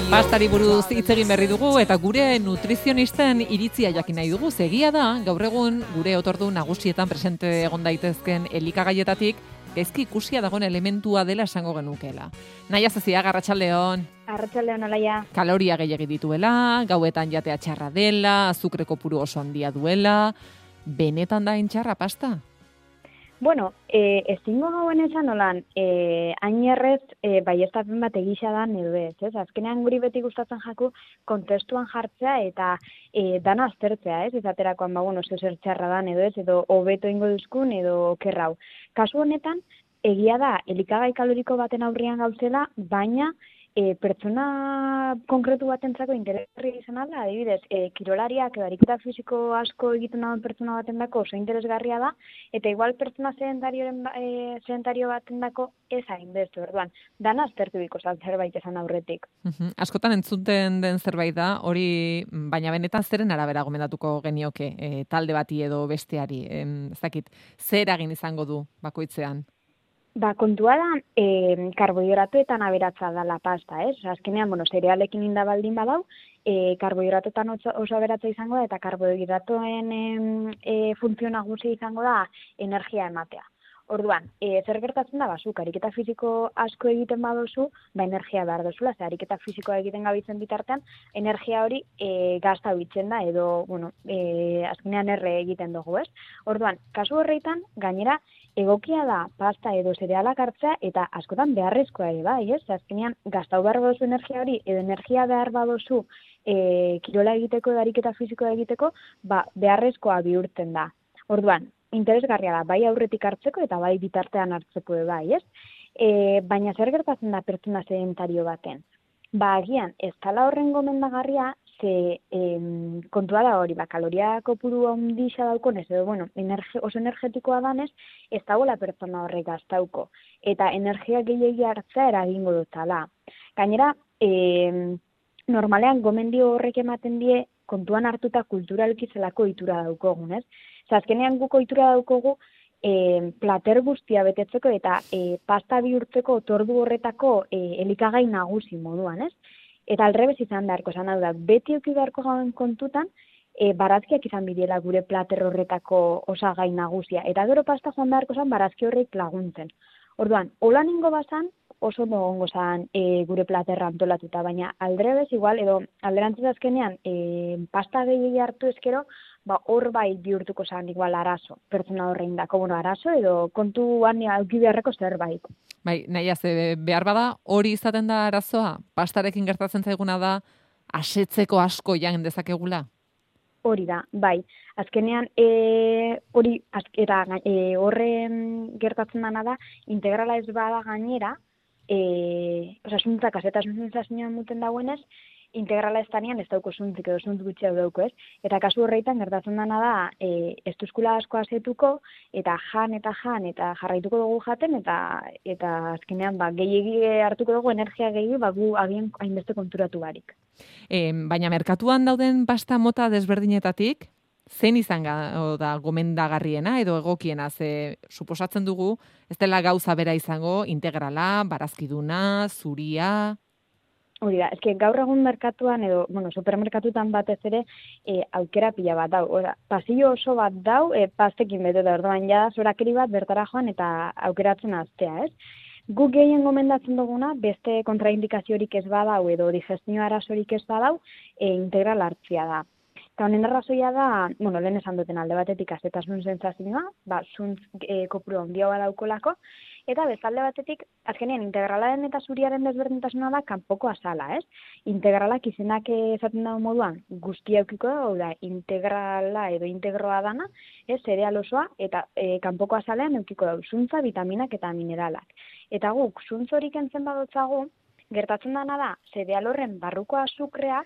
Pastari buruz hitz egin berri dugu eta gure nutrizionisten iritzia jakin nahi dugu. Egia da, gaur egun gure otordu nagusietan presente egon daitezken elikagaietatik gaizki ikusia dagoen elementua dela esango genukeela. Naia Zezia, arratsaldeon. Arratsaldeon, alaia. Kaloria gehiegi dituela, gauetan jatea txarra dela, azukre kopuru oso handia duela. Benetan da txarra pasta? Bueno, ezingo gauen esan nolan, ainerrez baiestapen bat egisa da edo ez? Azkenean guri beti gustatzen jaku kontestuan jartzea eta dana aztertzea, ez? Izaterakoan, zer txarra dan edo ez, edo hobeto ingo duzkun edo okerrau. Kasu honetan, egia da, elikagai kaloriko baten aurrian gauzela, baina pertsona konkretu batentzako interesgarri izan alda, adibidez, kirolariak edo ariketa fisiko asko egiten dagoen pertsona batendako oso interesgarria da, eta igual pertsona sedentario batendako ez hainbeste, orduan, dana aztertu biko zerbait esan aurretik. Askotan entzuten den zerbait da, hori, baina benetan zeren arabera gomendatuko genioke, talde bati edo besteari, ez dakit, zer eragin izango du bakoitzean? Kontua da, karbohidratoetan aberatza da la pasta, ez? Azkenean, zerealekin inda baldin badau, karbohidratoetan oso aberatza izango da, eta karbohidratoen funtzio nagusia izango da energia ematea. Orduan, zer gertatzen da, zuk ariketa fisiko asko egiten badozu, energia behar dozula, ariketa fisikoa egiten gabitzen bitartean, energia hori gazta bitzen da, edo, azkenean erre egiten dugu, ez? Orduan, kasu horreitan, gainera, egokia da pasta edo zerealak hartzea eta askotan beharrezkoa ere bai, ez? Azkenean, gaztau behar badozu energia hori, edo energia behar badozu kirola egiteko edo ariketa fisikoa egiteko, beharrezkoa bihurtzen da. Orduan, interesgarria da, bai aurretik hartzeko eta bai bitartean hartzeko bai, ez? Baina zer gertatzen da pertsona sedentario baten? Agian, ez dela horren gomendagarria, ze kontua da hori, kaloria kopuru handixea daukonez, edo, oso energetikoa danez, ez dagoela pertsona horrek gaztauko. Eta energia gehiagi hartzea eragingo dutala. Gainera, normalean gomendio horrek ematen die kontuan hartuta kulturalki zelako ohitura daukogun, ez? Azkenean guk ohitura daukogu plater guztia betetzeko eta pasta bihurtzeko otordu horretako elikagai nagusi moduan, ez? Eta alrebez izan beharko, esan hau da, beti euki beharko gauen kontutan, barazkiak izan bidiela gure plater horretako osagai nagusia. Eta gero pasta joan beharko zan barazki horrek laguntzen. Orduan, hola ningo bazan, oso gongo zan gure platerra antolatuta, baina aldrebez igual, edo alderantzez azkenean, pasta gehiagi hartu ezkero, hor bai bihurtuko zan igual arazo, pertsona horrein dako, arazo edo kontuan auki beharreko zerbait. Bai, Naia, behar bada hori izaten da arazoa? Pastarekin gertatzen zaiguna da asetzeko asko jan dezakegula? Hori da, bai. Azkenean, horren gertatzen dana da, integrala ez bada gainera, osasuntzak azetasun sensazioan muten dagoenez, integrala ez danean ez dauko zuntzik edo zuntz gutxiago dauko, ez? Eta kasu horreitan gertatzen dana da, ez duzkula asko azetuko, eta jan eta jarraituko dugu jaten, eta azkenean gehiegi hartuko dugu energia gehiagi, gu agian hainbeste konturatu barik. Baina merkatuan dauden pasta mota desberdinetatik, zein izan da gomendagarriena edo egokiena, suposatzen dugu, ez dela gauza bera izango, integrala, barazkiduna, zuria... Hori da, gaur egun merkatuan edo, supermerkatutan batez ere aukera pila bat dau. Pasillo oso bat dau, pastekin bete da, orduan ja zorakeri bat bertara joan eta aukeratzen aztea, ez? Guk gehien gomendatzen duguna, beste kontraindikaziorik ez badau edo digestio arazorik ez badau, integral hartzia da. Eta honen arrazoia da, lehen esan duten alde batetik azetasun sensazioa, zuntz kopuru handia badaukolako, eta bestalde batetik, azkenean integralaren eta zuriaren desberdintasuna da kanpoko azala, ez? Integralak izenak esaten dago moduan guztia eukiko da, integrala edo integroa dana, zereal osoa, eta kanpoko azalean eukiko da, zuntza, vitaminak eta mineralak. Eta guk, zuntz horik entzen badotzagu, gertatzen dana da, zereal horren barruko azukrea,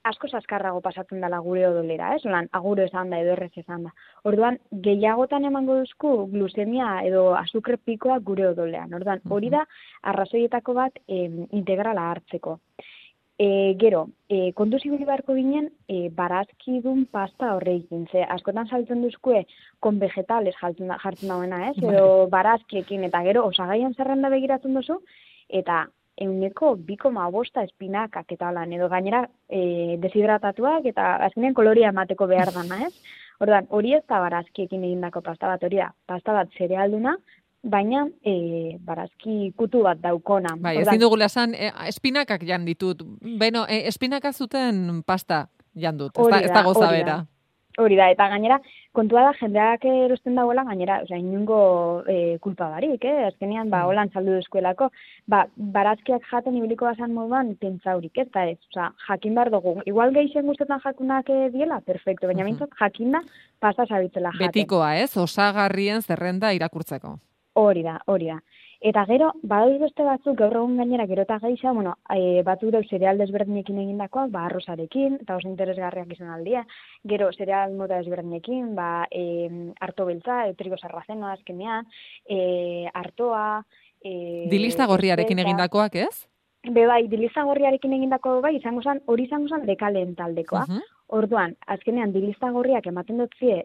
asko azkarrago pasatzen dela gure odolera, aguro esan da edo errez esan da. Orduan, gehiagotan emango duzku glusemia edo azukre pikoa gure odolean. Orduan, hori da arrazoietako bat integrala hartzeko. Gero, kontu zibili beharko ginen, barazkidun pasta horreikin. Askotan saltzen duzkue, kon vegetales jartzen dauena, edo barazkiekin, eta gero osagaian zerrenda begiratzen duzu, eta €2,5 espinakak eta lan, edo gainera deshidratatuak eta azkenean koloria emateko behar dana, ez? Orduan, hori ez da barazkiekin egindako pasta bat, hori da, pasta bat zerealduna, baina barazki kutu bat daukona. Bai, ezin dugula esan, espinakak jan ditut. Beno, espinaka zuten pasta jan dut, ez da goza bera. Hori da, eta gainera, kontua da, jendeak erosten dagoela, gainera, inungo kulpa barik, azkenean, holan saldu duzkuelako, barazkiak jaten ibiliko bazan moduan, pentsaurik, eta ez, jakin behar dugu, igual geixen guztetan jakunak diela, perfecto, baina mintzat, jakin da, pasta sabitzela jaten. Betikoa, ez? Osagarrien zerrenda irakurtzeko. Hori da. Eta gero, badauz beste batzuk, gaur egun gainera gero eta geixa, batzuk dau zereal desberdinekin egindakoak, arrozarekin, eta oso interesgarriak izan aldia. Gero, zereal mota desberdinekin, arto beltza, trigo sarrazenoa azkenean, artoa... Dilista gorriarekin egindakoak, ez? Bai, dilista gorriarekin egindako hori izango zen dekaleen taldekoa. Orduan, azkenean, dilista gorriak ematen dutzie,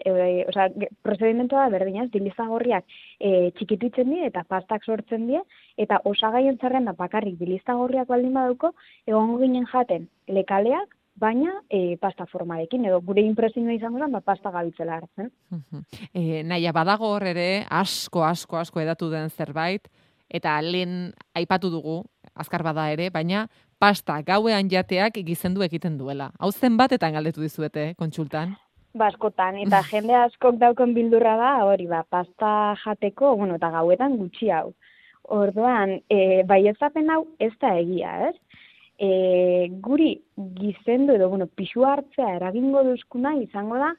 prozedimentoa da berdinaz, dilista gorriak txikituitzen die eta pastak sortzen die, eta osagaien zerrenda bakarrik dilista gorriak baldin badauko, egongo ginen jaten lekaleak, baina pasta formarekin, edo gure impresioa izango zen, pasta gabitzela hartzen. Naia, badago hor ere, asko edatu den zerbait, eta lehen aipatu dugu, azkar bada ere, baina pasta gauean jateak gizendu egiten duela. Hau zenbatetan galdetu dizuete, kontsultan? Askotan, eta jende askok daukon bildurra da, hori pasta jateko, eta gauetan gutxi hau. Orduan, baietzapen hau ez da egia, ez? Guri gizendu edo, pixu hartzea eragingo duzkuna izango da,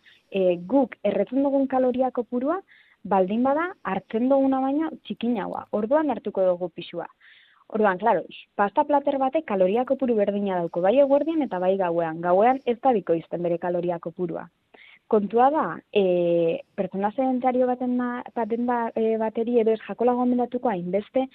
guk erretzen dugun kaloria kopurua, baldin bada hartzen duguna baina txikinagoa. Orduan hartuko dugu pixua. Orduan, klaro, pasta plater batek kaloria kopuru berdina dauko, bai eguerdian eta bai gauean. Gauean ez da bikoizten bere kaloria kopurua. Kontua da, pertsona sedentario baten bateri edo ez jakola gomendatuko hainbeste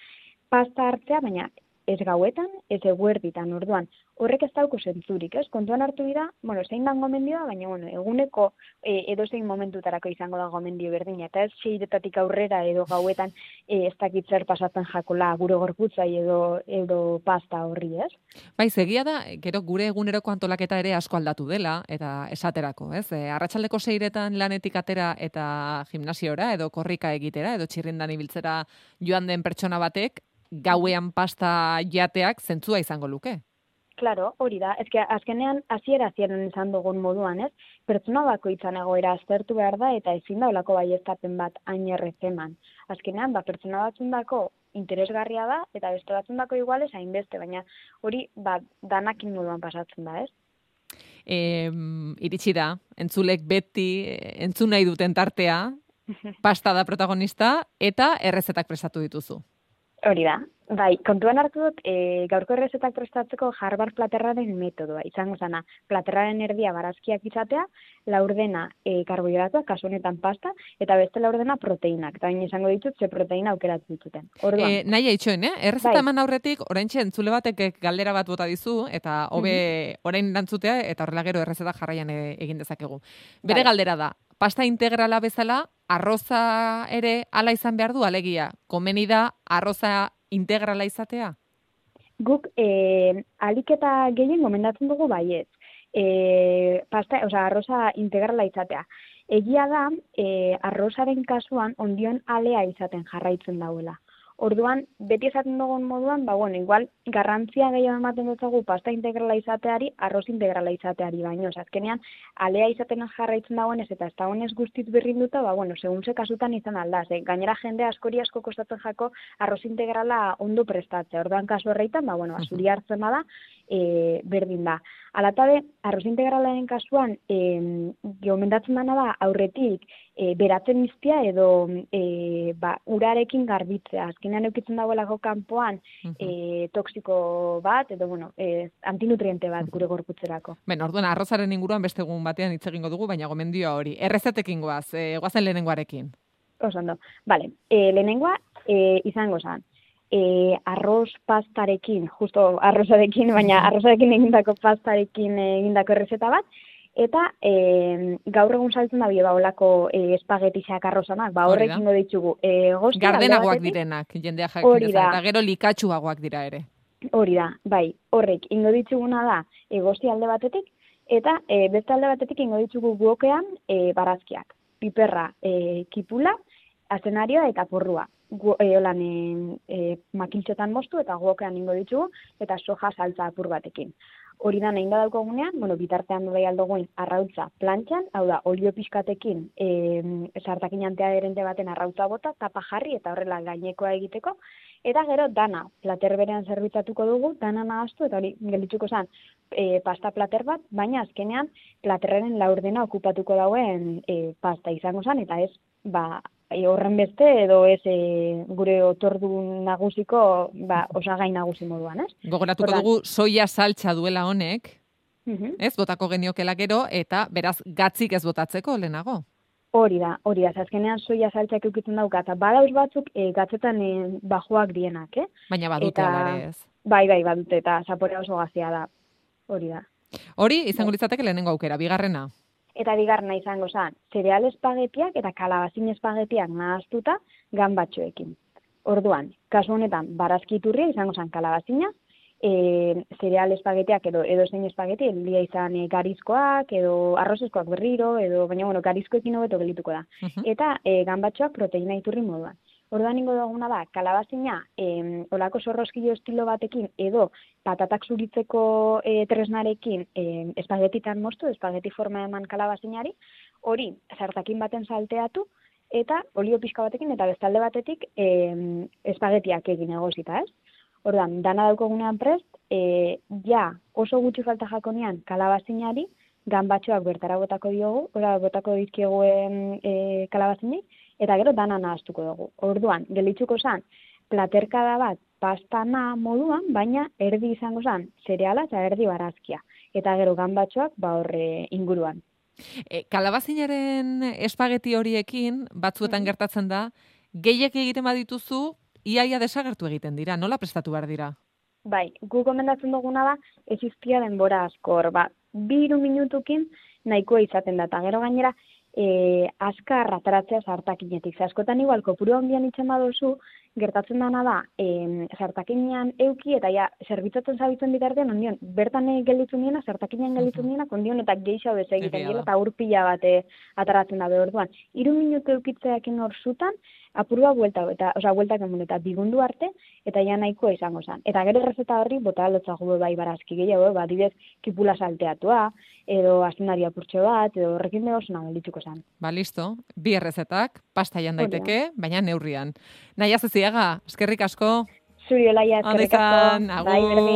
pasta hartzea, baina ez gauetan, ez eguerditan, orduan. Horrek ez dauko zentzurik, ez? Kontuan hartu dira, zein da gomendioa, baina, eguneko edozein momentutarako izango da gomendio berdina, eta ez 6 aurrera edo gauetan ez dakit zer pasatzen jakola gure gorputzai edo pasta horri, ez? Bai, egia da, gero gure eguneroko antolaketa ere asko aldatu dela, eta esaterako, ez? Arratsaldeko 6etan lanetik atera eta gimnasiora, edo korrika egitera, edo txirrindan ibiltzera joan den pertsona batek, gauean pasta jateak zentzua izango luke. Claro, hori da. Azkenean hasieran izan dugun moduan, ez? Pertsona bakoitzan egoera aztertu behar da eta ezin da holako baieztapen bat hain errezeman. Azkenean, pertsona batzundako interesgarria da eta beste batzundako igual ez hainbeste, baina hori danakin moduan pasatzen da, ez? Iritsi da, entzulek beti entzun nahi duten tartea, pasta da protagonista eta errezetak prestatu dituzu. Hori da. Bai, kontuan hartu dut, gaurko errezetak prestatzeko Harvard platerraren metodoa. Izango zana, platerraren erdia barazkiak izatea, laurdena karbohidratuak, kasu honetan pasta, eta beste laurdena proteinak. Eta baina izango ditut, ze proteina aukeratu dituten. Nahi eitxoen, errezeta eman aurretik, oraintxe entzule batek galdera bat bota dizu, eta hobe orain dantzutea, eta horrela gero errezeta jarraian egin dezakegu. Bere galdera da, pasta integrala bezala, arroza ere ala izan behar du, alegia, komeni da arroza integrala izatea? Guk alik eta gehien gomendatzen dugu baietz. Arroza integrala izatea. Egia da, arrozaren kasuan ondion alea izaten jarraitzen dauela. Orduan, beti esaten dugun moduan, igual garrantzia gehiago ematen dutzagu pasta integrala izateari, arroz integrala izateari baino. Azkenean, alea izaten jarraitzen dagoenez eta ez dagoenez guztiz berrinduta, segun ze kasutan izan aldaz. Gainera jende asko kostatzen jako arroz integrala ondo prestatzea. Orduan kasu horreitan, azuri hartzen bada, berdin da. Alatabe, arroz integralaren kasuan, gomendatzen dana da aurretik beratzen iztia edo urarekin garbitzea. Azkenean eukitzen dagoelako kanpoan toksiko bat edo antinutriente bat gure gorputzerako. Orduan, arrozaren inguruan beste egun batean hitz egingo dugu, baina gomendioa hori. Errezetekin goaz, goazen lehenengoarekin. Osondo. Bale, lehenengoa izango zen. Arroz pastarekin, justo arrozarekin, baina arrozarekin egindako pastarekin egindako errezeta bat, eta gaur egun saltzen da olako espagetixak arrozanak, horrek ingo ditugu. Gardenagoak direnak, jendea jakin dezan, eta gero likatsuagoak dira ere. Hori da, bai, horrek ingo dituguna da egosti alde batetik, eta beste alde batetik ingo ditugu guokean barazkiak, piperra, kipula, azenarioa eta porrua. Makiltxotan moztu eta guokean ingo ditugu, eta soja saltza apur batekin. Hori da, nahi da daukagunean, bitartean bai aldogoin arrautza plantxan, hau da, olio pixkatekin sartakin antiaderente baten arrautza bota, tapa jarri eta horrela gainekoa egiteko, eta gero dana plater berean zerbitzatuko dugu, dana nahaztu, eta hori geldituko zen pasta plater bat, baina azkenean platerren laurdena okupatuko dauen pasta izango zen, eta ez, horren beste edo ez gure otordu nagusiko osagai nagusi moduan, ez? Gogoratuko dugu soia saltza duela honek, ez botako geniokela gero, eta beraz gatzik ez botatzeko lehenago. Hori da, azkenean soia saltzak eukitzen dauka, eta badauz batzuk gatzetan bajoak dienak, Baina badute alare ez. Bai, badute, eta zaporea oso gazia da, hori da. Hori, izango litzateke lehenengo aukera, bigarrena. Eta bigarrena izango zen, zereal espagetiak eta kalabazin espagetiak nahaztuta ganbatxoekin. Orduan, kasu honetan, barazkiturria izango zen kalabazina, zereal espagetiak edo zein espageti, elia izan garizkoak edo arrozeskoak berriro, baina garizkoekin hobeto gelituko da. Eta ganbatxoak proteina iturri moduan. Orduan ingo duguna da, kalabazina olako zorroskilo estilo batekin edo patatak zuritzeko tresnarekin espagetitan moztu, espageti forma eman kalabazinari, hori sartakin baten salteatu, eta olio pixka batekin eta bestalde batetik espagetiak egin egosita, ez? Orduan, dana daukogunean prest, ja oso gutxi falta jakonean kalabazinari, ganbatxoak bertara botako diogu, botako dizkieguen kalabazinei, eta gero dana nahaztuko dugu. Orduan, gelitzuko zen, platerkada bat pastana moduan, baina erdi izango zen, zereala eta erdi barazkia. Eta gero ganbatxoak horre inguruan. Kalabazinaren espageti horiekin, batzuetan gertatzen da, gehiek egiten badituzu, iaia desagertu egiten dira, nola prestatu behar dira? Bai, gu gomendatzen duguna da, ez iztia denbora askor, 2-3 minutukin nahikoa izaten da, eta gero gainera, azkar ataratzea sartakinetik. Askotan igual, kopuru handian itxen baduzu, gertatzen dana da, sartakinean euki, eta ja, zerbitzatzen zabitzen bitartean, ondion, bertan gelditzen diena, sartakinean gelditzen diena, ondion, eta geixau ez egiten dira, eta urpila bat ataratzen da behorduan. 3 minutu eukitzeakin hor zutan, apurua bueltak emun, eta bigundu arte, eta ja nahikoa izango zen. Eta gero errezeta horri, bota aldotzago bai barazki gehiago, adibidez, kipula salteatua, edo azenari apurtxo bat, edo horrekin beho zona gelditzuko zen. Listo, 2 errezetak, pasta jan daiteke, baina neurrian. Naia Zeziaga, eskerrik asko. Zuri Olaia, eskerrik asko. Agur.